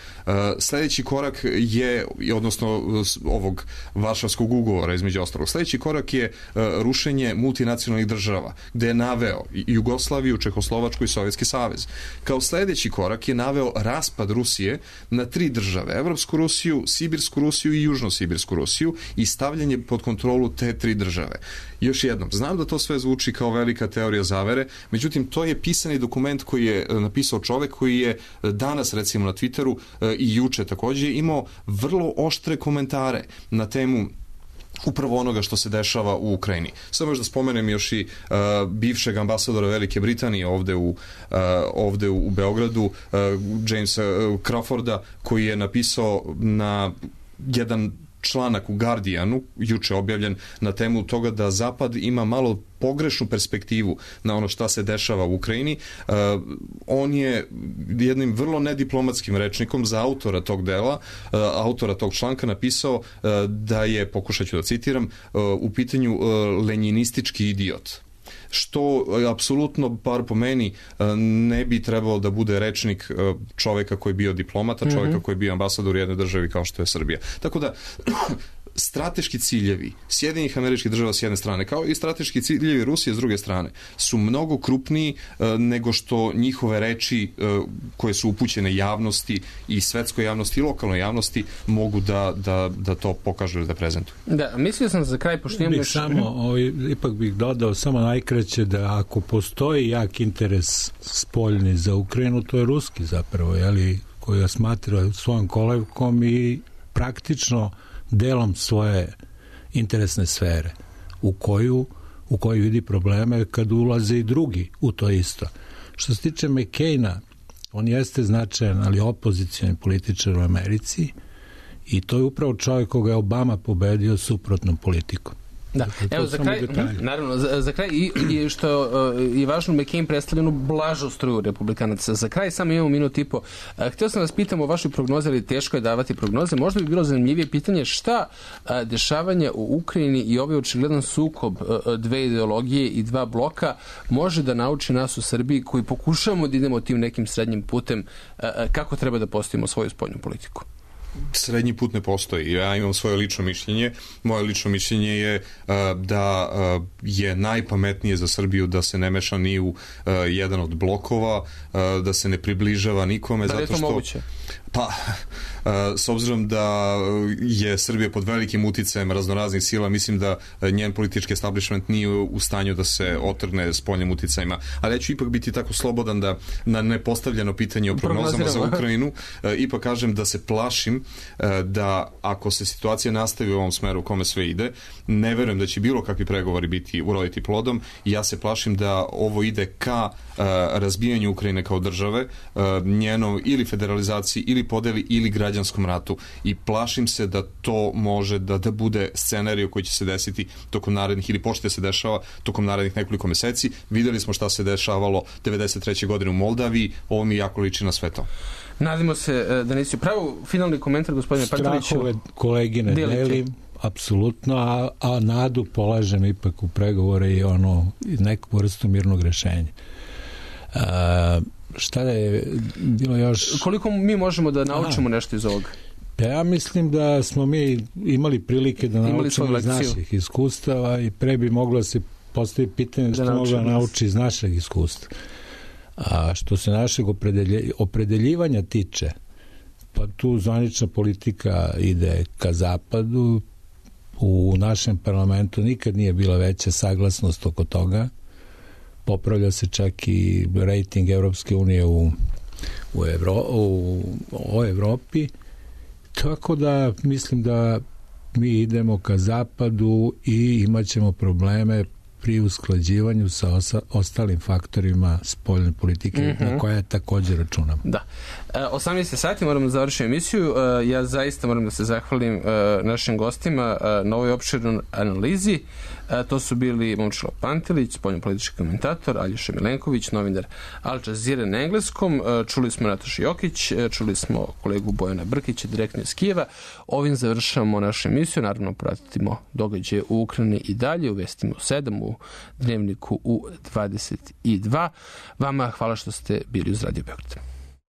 Sljedeći korak je, odnosno ovog Varšavskog ugovora između ostalog, sljedeći korak je rušenje multinacionalnih država, gde je naveo Jugoslaviju, Čehoslovačku i Sovjetski savez. Kao sljedeći korak je naveo raspad Rusije na tri države, Evropsku Rusiju, Sibirsku Rusiju i Južno-Sibirsku Rusiju i stavljanje pod kontrolu te tri države. Još jednom, znam da to sve zvuči kao velika teorija zavere, međutim to je pisani dokument koji je napisao čovek koji je danas recimo na Twitteru i juče također imao vrlo oštre komentare na temu upravo onoga što se dešava u Ukrajini. Samo još da spomenem još i uh, bivšeg ambasadora Velike Britanije ovde u, uh, ovde u Beogradu, uh, Jamesa uh, Crawforda, koji je napisao na jedan članak u Guardianu, juče objavljen, na temu toga da Zapad ima malo pogrešnu perspektivu na ono šta se dešava u Ukrajini. Uh, on je jednim vrlo nediplomatskim rečnikom za autora tog dela, uh, autora tog članka napisao uh, da je, pokušat ću da citiram, uh, u pitanju uh, lenjinistički idiot. Što apsolutno, bar po meni, ne bi trebalo da bude rečnik čoveka koji je bio diplomata, čoveka mm-hmm. koji je bio ambasador u jednoj državi kao što je Srbija. Tako da, strateški ciljevi Sjedinjenih Američkih Država s jedne strane, kao i strateški ciljevi Rusije s druge strane, su mnogo krupniji uh, nego što njihove reči uh, koje su upućene javnosti i svetskoj javnosti i lokalnoj javnosti mogu da, da, da to pokažu ili da prezentuju. Da, mislio sam za kraj, pošto imamo još... Samo, ovaj, ipak bih dodao samo najkraće da ako postoji jak interes spoljni za Ukrajinu, to je ruski zapravo, jeli, koji ga smatra svojom kolevkom i praktično delom svoje interesne sfere u koju, u koju vidi probleme kad ulaze i drugi u to isto. Što se tiče McCaina, on jeste značajan, ali opozicioni političar u Americi i to je upravo čovjek koga je Obama pobedio suprotnom politikom. Da, dakle, evo za kraj, naravno, za, za kraj i, i što uh, je važno, McCain predstavljenu blažu struju republikanaca. Za kraj samo imamo minut i po. Uh, htio sam vas pitam o vašoj prognozi, ali teško je davati prognoze. Možda bi bilo zanimljivije pitanje šta uh, dešavanje u Ukrajini i ovaj očigledan sukob uh, dve ideologije i dva bloka može da nauči nas u Srbiji koji pokušavamo da idemo tim nekim srednjim putem uh, kako treba da postavimo svoju spoljnu politiku. srednji put ne postoji. Ja imam svoje lično mišljenje. Moje lično mišljenje je uh, da uh, je najpametnije za Srbiju da se ne meša ni u uh, jedan od blokova, uh, da se ne približava nikome. Da li je zato to što, moguće? Pa, uh, s obzirom da je Srbija pod velikim uticajem raznoraznih sila, mislim da njen politički establishment nije u stanju da se otrgne spoljnim uticajima. Ali ja ću ipak biti tako slobodan da na nepostavljeno pitanje o prognozama za Ukrajinu uh, ipak kažem da se plašim uh, da ako se situacija nastavi u ovom smeru u kome sve ide, ne verujem da će bilo kakvi pregovori biti uroditi plodom i ja se plašim da ovo ide ka uh, razbijanju Ukrajine kao države, uh, njenom ili federalizaciji ili podeli ili građanskom ratu i plašim se da to može da, da bude scenarij koji će se desiti tokom narednih ili počne se dešava tokom narednih nekoliko meseci. Videli smo šta se dešavalo devedeset treće godine u Moldaviji, ovo mi jako liči na sve to. Nadimo se da nisi upravo. Finalni komentar, gospodine Pantoviću. Strahove kolegine delim, apsolutno, a, a nadu polažem ipak u pregovore i ono, neku vrstu mirnog rešenja. A, šta da je bilo još... Koliko mi možemo da naučimo Aha. nešto iz ovoga? Ja mislim da smo mi imali prilike da naučimo iz naših iskustava i pre bi moglo se postaviti pitanje što mogla nauči iz našeg iskustva. A što se našeg opredelje, opredeljivanja tiče, pa tu zvanična politika ide ka zapadu, u našem parlamentu nikad nije bila veća saglasnost oko toga, popravlja se čak i rating Evropske unije u, u, Evro, u, u Evropi, tako da mislim da mi idemo ka zapadu i imat ćemo probleme pri usklađivanju sa osa, ostalim faktorima spoljne politike, mm-hmm. na koje također računam. Da. E, osamnaest sati moramo da završiti emisiju. E, ja zaista moram da se zahvalim e, našim gostima e, na ovoj opširnoj analizi. E, to su bili Momčilo Pantelić, spoljnopolitički komentator, Aljoša Milenković, novinar Al Jazeera na engleskom. E, čuli smo Natašu Jokić, e, čuli smo kolegu Bojana Brkića, direktno iz Kijeva. Ovim završavamo našu emisiju. Naravno, pratimo događaje u Ukrajini i dalje, u Vestima u sedam, u Dnevniku u dvadeset dva. Vama hvala što ste bili uz Radio Beograd.